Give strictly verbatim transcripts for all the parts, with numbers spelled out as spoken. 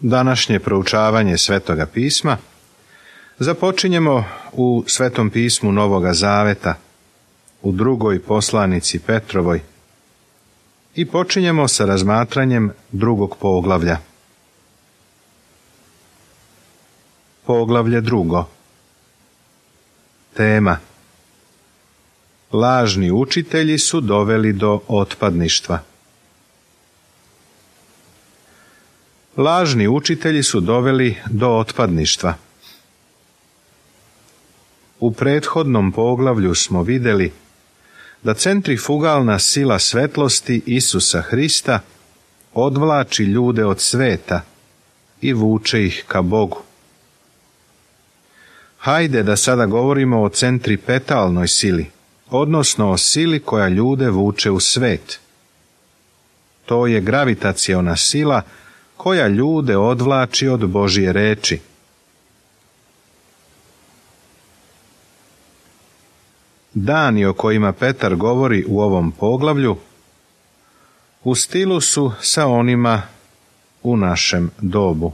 Današnje proučavanje Svetoga pisma započinjemo u Svetom pismu Novoga Zaveta, u drugoj poslanici Petrovoj, i počinjemo sa razmatranjem drugog poglavlja. Poglavlje drugo. Tema: lažni učitelji su doveli do otpadništva. Lažni učitelji su doveli do otpadništva. U prethodnom poglavlju smo vidjeli da centrifugalna sila svetlosti Isusa Hrista odvlači ljude od sveta i vuče ih ka Bogu. Hajde da sada govorimo o centripetalnoj sili, odnosno o sili koja ljude vuče u svet. To je gravitaciona sila koja ljude odvlači od Božje reči. Dani o kojima Petar govori u ovom poglavlju u stilu su sa onima u našem dobu.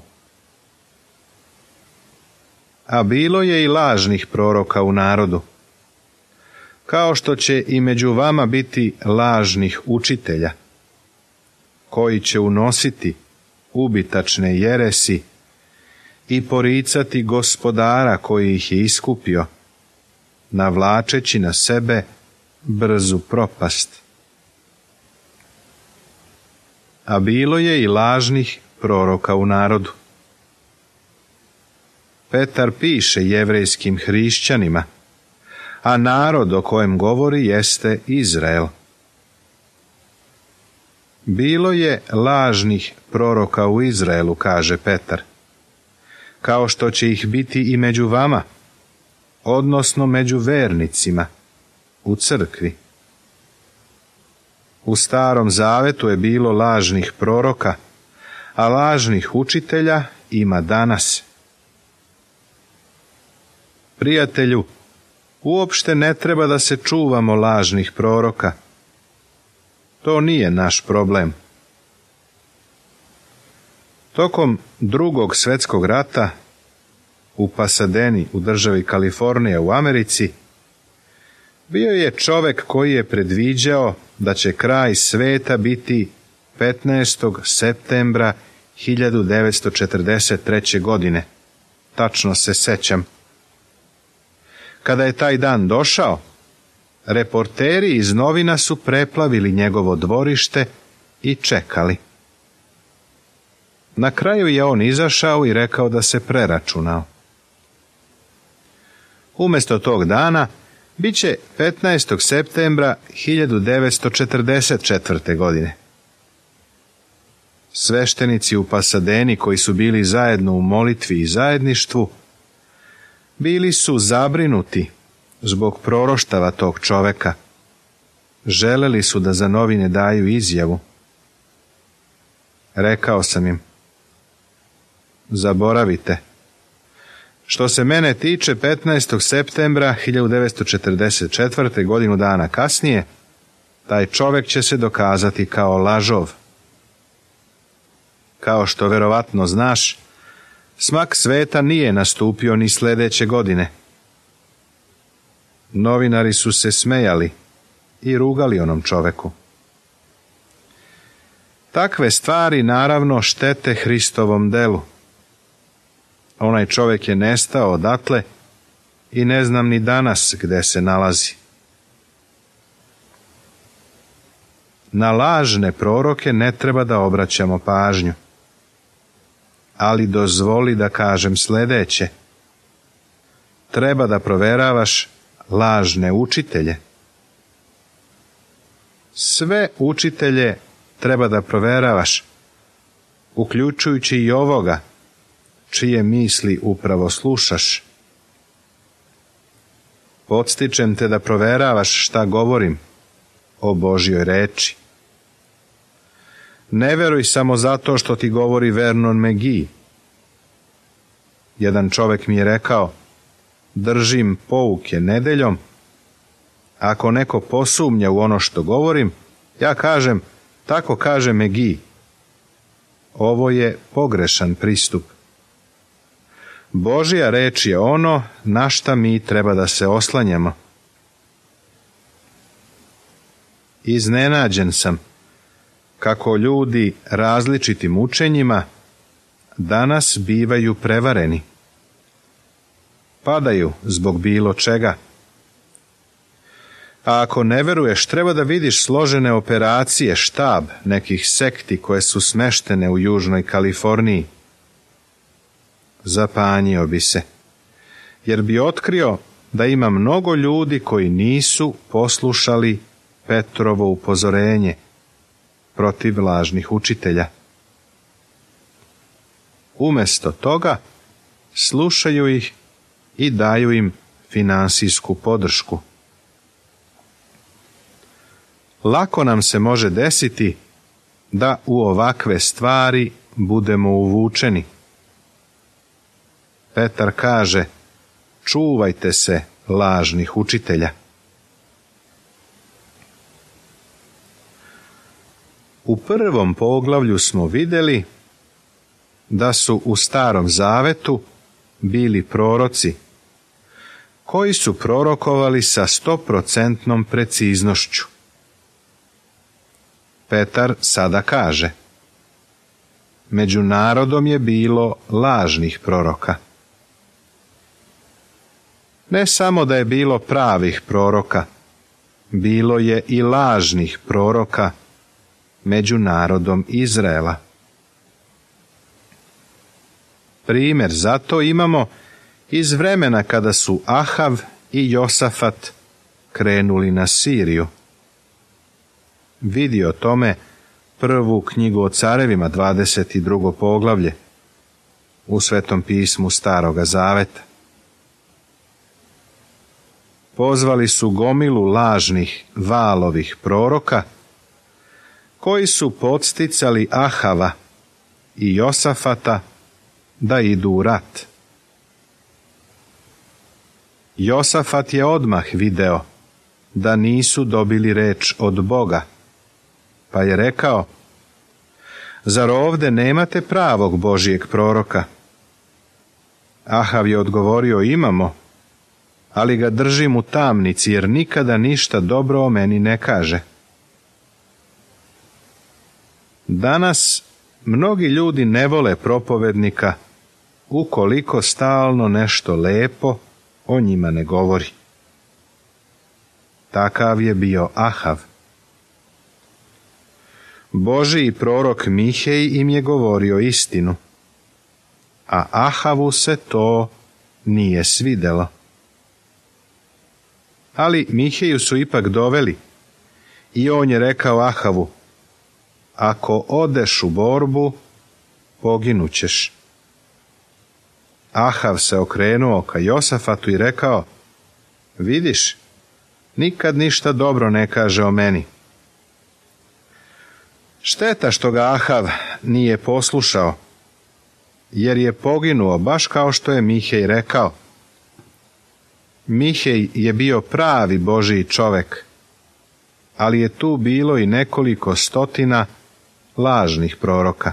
A bilo je i lažnih proroka u narodu, kao što će i među vama biti lažnih učitelja, koji će unositi ubitačne jeresi i poricati Gospodara koji ih je iskupio, navlačeći na sebe brzu propast. A bilo je i lažnih proroka u narodu. Petar piše jevrejskim hrišćanima, a narod o kojem govori jeste Izrael. Bilo je lažnih proroka u Izraelu, kaže Petar, kao što će ih biti i među vama, odnosno među vernicima, u crkvi. U Starom Zavetu je bilo lažnih proroka, a lažnih učitelja ima danas. Prijatelju, uopšte ne treba da se čuvamo lažnih proroka. To nije naš problem. Tokom drugog svjetskog rata u Pasadeni u državi Kalifornija u Americi bio je čovjek koji je predviđao da će kraj sveta biti petnaestog septembra hiljadu devetsto četrdeset treće. godine. Tačno se sećam. Kada je taj dan došao, reporteri iz novina su preplavili njegovo dvorište i čekali. Na kraju je on izašao i rekao da se preračunao. Umjesto tog dana bit će petnaestog septembra hiljadu devetsto četrdeset četvrte. godine. Sveštenici u Pasadeni koji su bili zajedno u molitvi i zajedništvu bili su zabrinuti zbog proroštava tog čoveka. Želeli su da za novine daju izjavu. Rekao sam im: zaboravite. Što se mene tiče, petnaestog septembra hiljadu devetsto četrdeset četvrte. godinu dana kasnije, taj čovjek će se dokazati kao lažov. Kao što verovatno znaš, smak sveta nije nastupio ni sljedeće godine. Novinari su se smejali i rugali onom čoveku. Takve stvari naravno štete Hristovom delu. Onaj čovjek je nestao odatle i ne znam ni danas gde se nalazi. Na lažne proroke ne treba da obraćamo pažnju. Ali dozvoli da kažem sljedeće. Treba da proveravaš lažne učitelje. Sve učitelje treba da proveravaš, uključujući i ovoga, čije misli upravo slušaš. Podstičem te da proveravaš šta govorim o Božjoj reči. Ne veruj samo zato što ti govori Vernon McGee. Jedan čovjek mi je rekao: držim pouke nedeljom, ako neko posumnja u ono što govorim, ja kažem: tako kaže McGee. ovo je pogrešan pristup. Božja reč je ono na šta mi treba da se oslanjamo. Iznenađen sam kako ljudi različitim učenjima danas bivaju prevareni. Padaju zbog bilo čega. A ako ne veruješ, treba da vidiš složene operacije, štab nekih sekti koje su smeštene u Južnoj Kaliforniji. Zapanjio bi se, jer bi otkrio da ima mnogo ljudi koji nisu poslušali Petrovo upozorenje protiv lažnih učitelja. Umjesto toga slušaju ih i daju im finansijsku podršku. Lako nam se može desiti da u ovakve stvari budemo uvučeni. Petar kaže, čuvajte se lažnih učitelja. U prvom poglavlju smo vidjeli da su u Starom Zavetu bili proroci koji su prorokovali sa stoprocentnom preciznošću. Petar sada kaže, među narodom je bilo lažnih proroka. Ne samo da je bilo pravih proroka, bilo je i lažnih proroka među narodom Izraela. Primjer za to imamo iz vremena kada su Ahav i Josafat krenuli na Siriju. Vidi o tome prvu knjigu o carevima, dvadeset drugo poglavlje, u Svetom pismu Staroga Zaveta. Pozvali su gomilu lažnih Valovih proroka, koji su podsticali Ahava i Josafata da idu u rat. Josafat je odmah video da nisu dobili reč od Boga, pa je rekao, zar ovde nemate pravog Božijeg proroka? Ahav je odgovorio, imamo, ali ga držim u tamnici, jer nikada ništa dobro o meni ne kaže. Danas mnogi ljudi ne vole propovednika ukoliko stalno nešto lepo o njima ne govori. Takav je bio Ahav. Božiji prorok Mihej im je govorio istinu, a Ahavu se to nije svidelo. Ali Miheju su ipak doveli i on je rekao Ahavu, ako odeš u borbu, poginućeš. Ahav se okrenuo ka Josafatu i rekao, vidiš, nikad ništa dobro ne kaže o meni. Šteta što ga Ahav nije poslušao, jer je poginuo baš kao što je Mihej rekao. Mihej je bio pravi Božiji čovek, ali je tu bilo i nekoliko stotina lažnih proroka.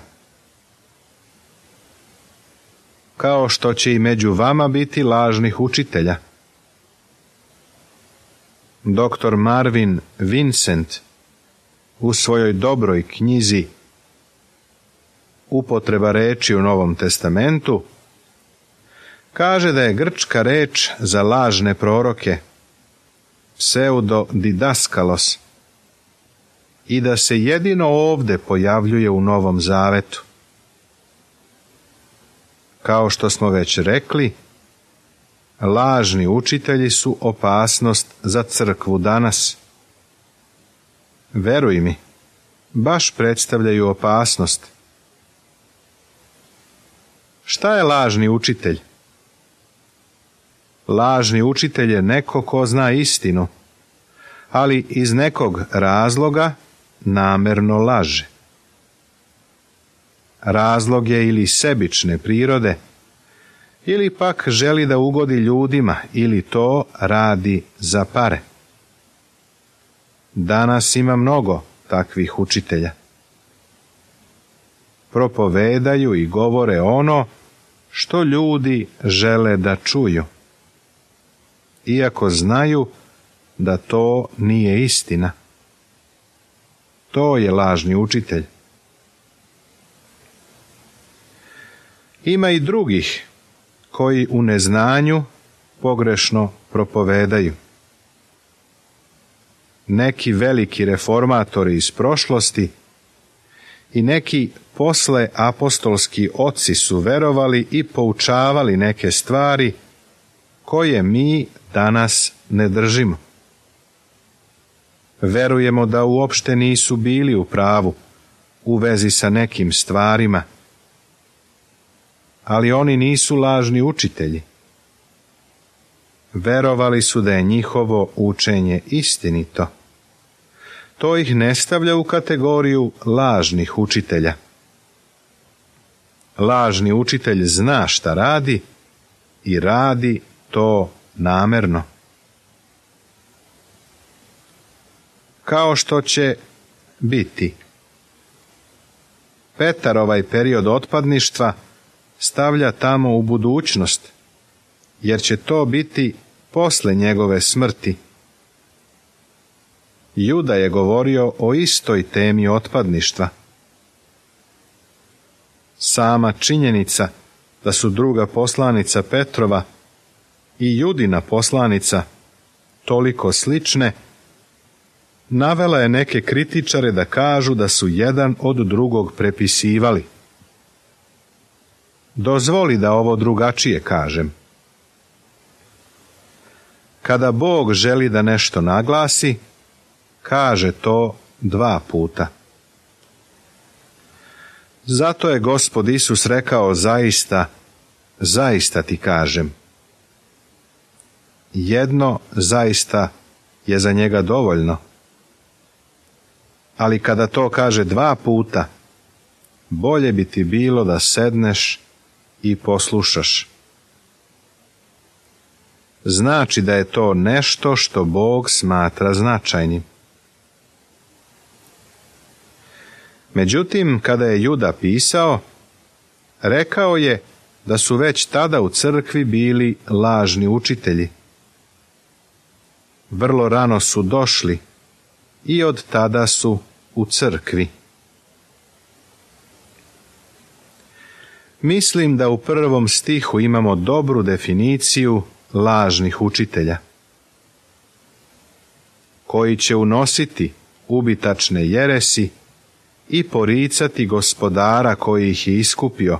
Kao što će i među vama biti lažnih učitelja. Doktor Marvin Vincent u svojoj dobroj knjizi Upotreba reči u Novom testamentu kaže da je grčka reč za lažne proroke pseudodidaskalos i da se jedino ovde pojavljuje u Novom Zavetu. Kao što smo već rekli, lažni učitelji su opasnost za crkvu danas. Veruj mi, baš predstavljaju opasnost. Šta je lažni učitelj? Lažni učitelj je neko ko zna istinu, ali iz nekog razloga namerno laže. Razlog je ili sebične prirode, ili pak želi da ugodi ljudima, ili to radi za pare. Danas ima mnogo takvih učitelja. propovedaju i govore ono što ljudi žele da čuju, iako znaju da to nije istina. To je lažni učitelj. Ima i drugih koji u neznanju pogrešno propovedaju. Neki veliki reformatori iz prošlosti i neki posle apostolski oci su verovali i poučavali neke stvari koje mi danas ne držimo. Verujemo da uopšte nisu bili u pravu u vezi sa nekim stvarima, ali oni nisu lažni učitelji. Verovali su da je njihovo učenje istinito. To ih ne stavlja u kategoriju lažnih učitelja. Lažni učitelj zna šta radi i radi to namerno. Kao što će biti. Petar ovaj period otpadništva stavlja tamo u budućnost, jer će to biti posle njegove smrti. Juda je govorio o istoj temi otpadništva. Sama činjenica da su druga poslanica Petrova i Judina poslanica toliko slične, navela je neke kritičare da kažu da su jedan od drugog prepisivali. Dozvoli da ovo drugačije kažem. Kada Bog želi da nešto naglasi, kaže to dva puta. Zato je Gospod Isus rekao zaista, zaista ti kažem. Jedno zaista je za njega dovoljno. Ali kada to kaže dva puta, bolje bi ti bilo da sedneš i poslušaš. Znači da je to nešto što Bog smatra značajnim. Međutim, kada je Juda pisao, rekao je da su već tada u crkvi bili lažni učitelji. Vrlo rano su došli i od tada su u crkvi. Mislim da u prvom stihu imamo dobru definiciju lažnih učitelja, koji će unositi ubitačne jeresi i poricati Gospodara koji ih je iskupio,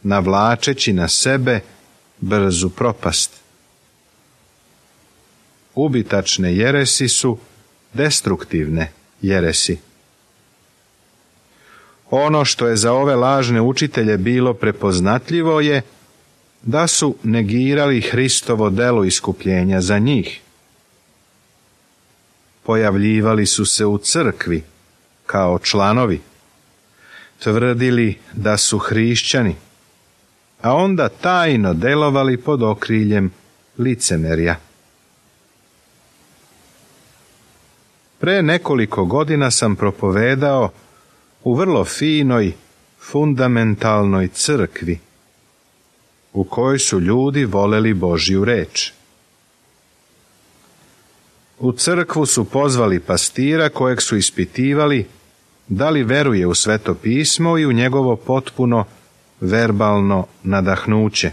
navlačeći na sebe brzu propast. Ubitačne jeresi su destruktivne jeresi. Ono što je za ove lažne učitelje bilo prepoznatljivo je da su negirali Hristovo delo iskupljenja za njih. Pojavljivali su se u crkvi kao članovi, tvrdili da su hrišćani, a onda tajno delovali pod okriljem licemerja. Pre nekoliko godina sam propovedao u vrlo finoj, fundamentalnoj crkvi, u kojoj su ljudi voleli Božju reč. U crkvu su pozvali pastira kojeg su ispitivali da li veruje u Sveto pismo i u njegovo potpuno verbalno nadahnuće.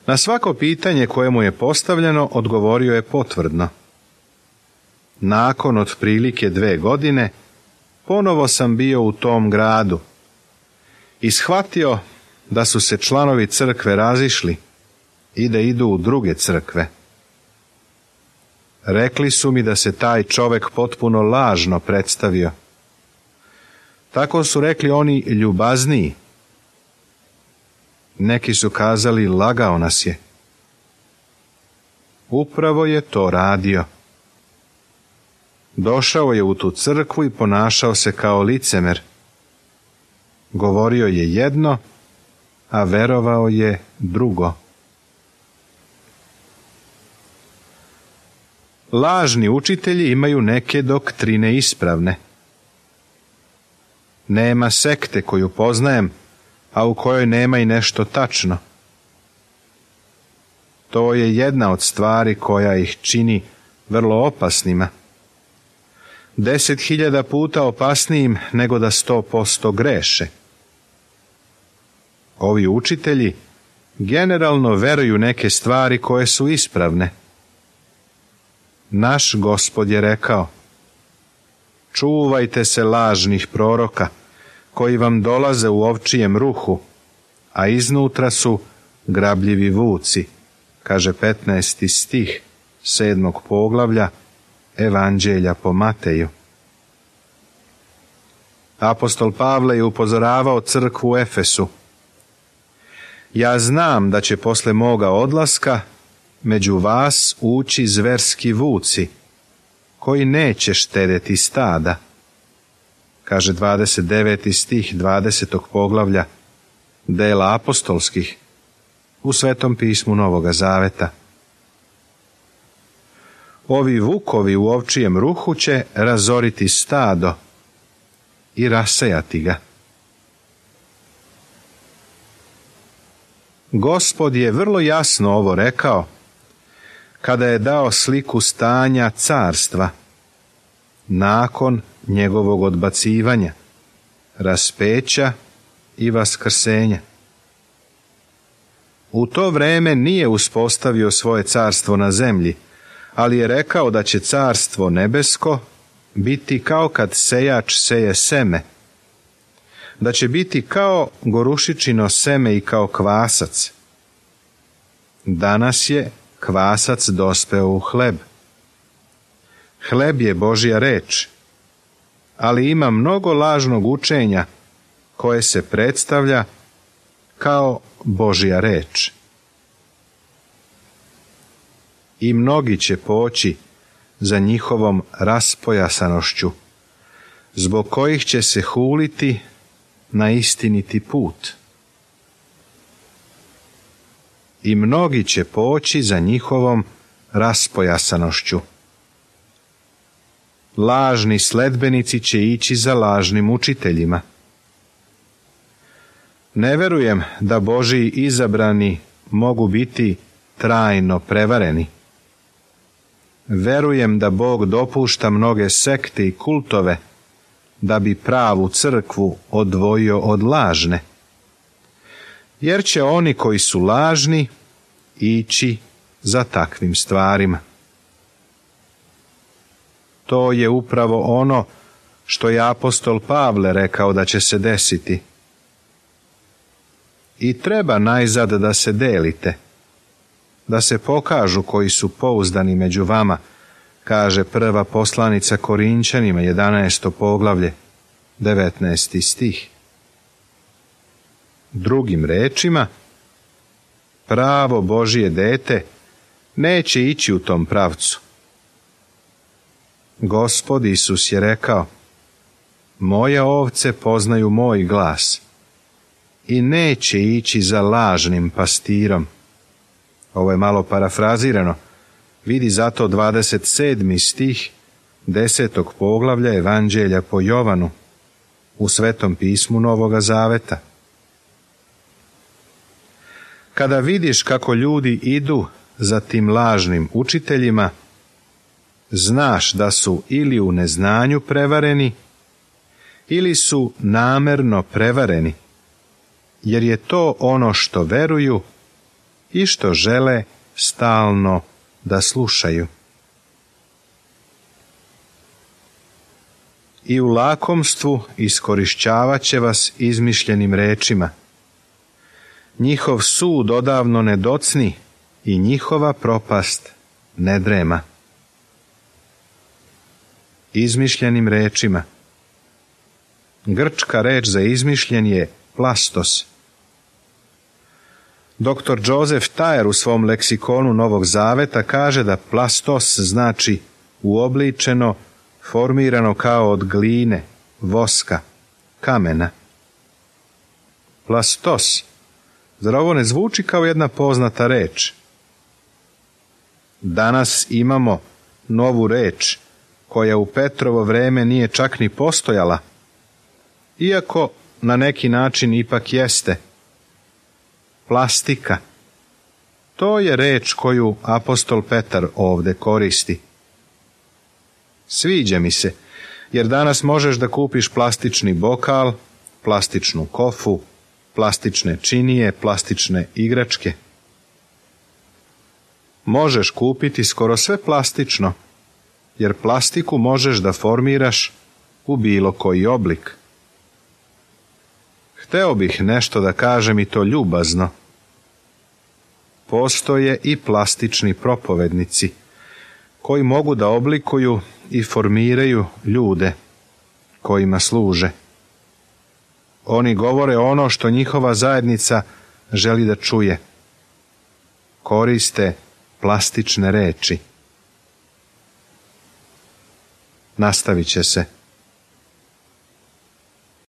Na svako pitanje koje mu je postavljeno odgovorio je potvrdno. Nakon otprilike dve godine ponovo sam bio u tom gradu i shvatio da su se članovi crkve razišli i da idu u druge crkve. Rekli su mi da se taj čovek potpuno lažno predstavio. Tako su rekli oni ljubazniji. Neki su kazali lagao nas je. Upravo je to radio. Došao je u tu crkvu i ponašao se kao licemer. Govorio je jedno, a verovao je drugo. Lažni učitelji imaju neke doktrine ispravne. Nema sekte koju poznajem, a u kojoj nema i nešto tačno. To je jedna od stvari koja ih čini vrlo opasnima. Deset hiljada puta opasnijim nego da sto posto greše. Ovi učitelji generalno veruju neke stvari koje su ispravne. Naš Gospod je rekao: čuvajte se lažnih proroka koji vam dolaze u ovčijem ruhu, a iznutra su grabljivi vuci, kaže petnaesti stih sedmog poglavlja Evanđelja po Mateju. Apostol Pavle je upozoravao crkvu u Efesu: ja znam da će posle moga odlaska među vas ući zverski vuci, koji neće štedeti stada, kaže dvadeset deveti stih dvadesetog poglavlja Dela apostolskih u Svetom pismu Novoga Zaveta. Ovi vukovi u ovčijem ruhu će razoriti stado i rasejati ga. Gospod je vrlo jasno ovo rekao kada je dao sliku stanja carstva nakon njegovog odbacivanja, raspeća i vaskrsenja. U to vreme nije uspostavio svoje carstvo na zemlji, ali je rekao da će carstvo nebesko biti kao kad sejač seje seme, da će biti kao gorušičino seme i kao kvasac. Danas je kvasac dospeo u hleb. Hleb je Božja reč, ali ima mnogo lažnog učenja koje se predstavlja kao Božja reč. I mnogi će poći za njihovom raspojasanošću, zbog kojih će se huliti na istiniti put. I mnogi će poći za njihovom raspojasanošću. Lažni sledbenici će ići za lažnim učiteljima. Ne verujem da Božji izabrani mogu biti trajno prevareni. Verujem da Bog dopušta mnoge sekte i kultove da bi pravu crkvu odvojio od lažne. Jer će oni koji su lažni ići za takvim stvarima. To je upravo ono što je apostol Pavle rekao da će se desiti. I treba najzad da se delite, da se pokažu koji su pouzdani među vama, kaže prva poslanica Korinćanima, jedanaesto poglavlje, devetnaesti stih. Drugim rečima, pravo Božje dete neće ići u tom pravcu. Gospod Isus je rekao: moje ovce poznaju moj glas i neće ići za lažnim pastirom. Ovo je malo parafrazirano. Vidi zato dvadeset sedmi stih desetog poglavlja Evanđelja po Jovanu u Svetom pismu Novoga Zaveta. Kada vidiš kako ljudi idu za tim lažnim učiteljima, znaš da su ili u neznanju prevareni, ili su namerno prevareni, jer je to ono što veruju i što žele stalno da slušaju. I u lakomstvu iskorišćavat će vas izmišljenim rečima. Njihov sud odavno ne docni i njihova propast ne drema. Izmišljenim rečima. Grčka reč za izmišljen je plastos. doktor Joseph Thayer u svom leksikonu Novog Zaveta kaže da plastos znači uobličeno, formirano kao od gline, voska, kamena. Plastos, zar ovo ne zvuči kao jedna poznata reč? Danas imamo novu reč koja u Petrovo vreme nije čak ni postojala iako na neki način ipak jeste. Plastika. To je reč koju apostol Petar ovdje koristi. Sviđa mi se, jer danas možeš da kupiš plastični bokal, plastičnu kofu, plastične činije, plastične igračke. Možeš kupiti skoro sve plastično, jer plastiku možeš da formiraš u bilo koji oblik. Hteo bih nešto da kažem i to ljubazno. Postoje i plastični propovednici, koji mogu da oblikuju i formiraju ljude kojima služe. Oni govore ono što njihova zajednica želi da čuje. Koriste plastične reči. Nastavit će se.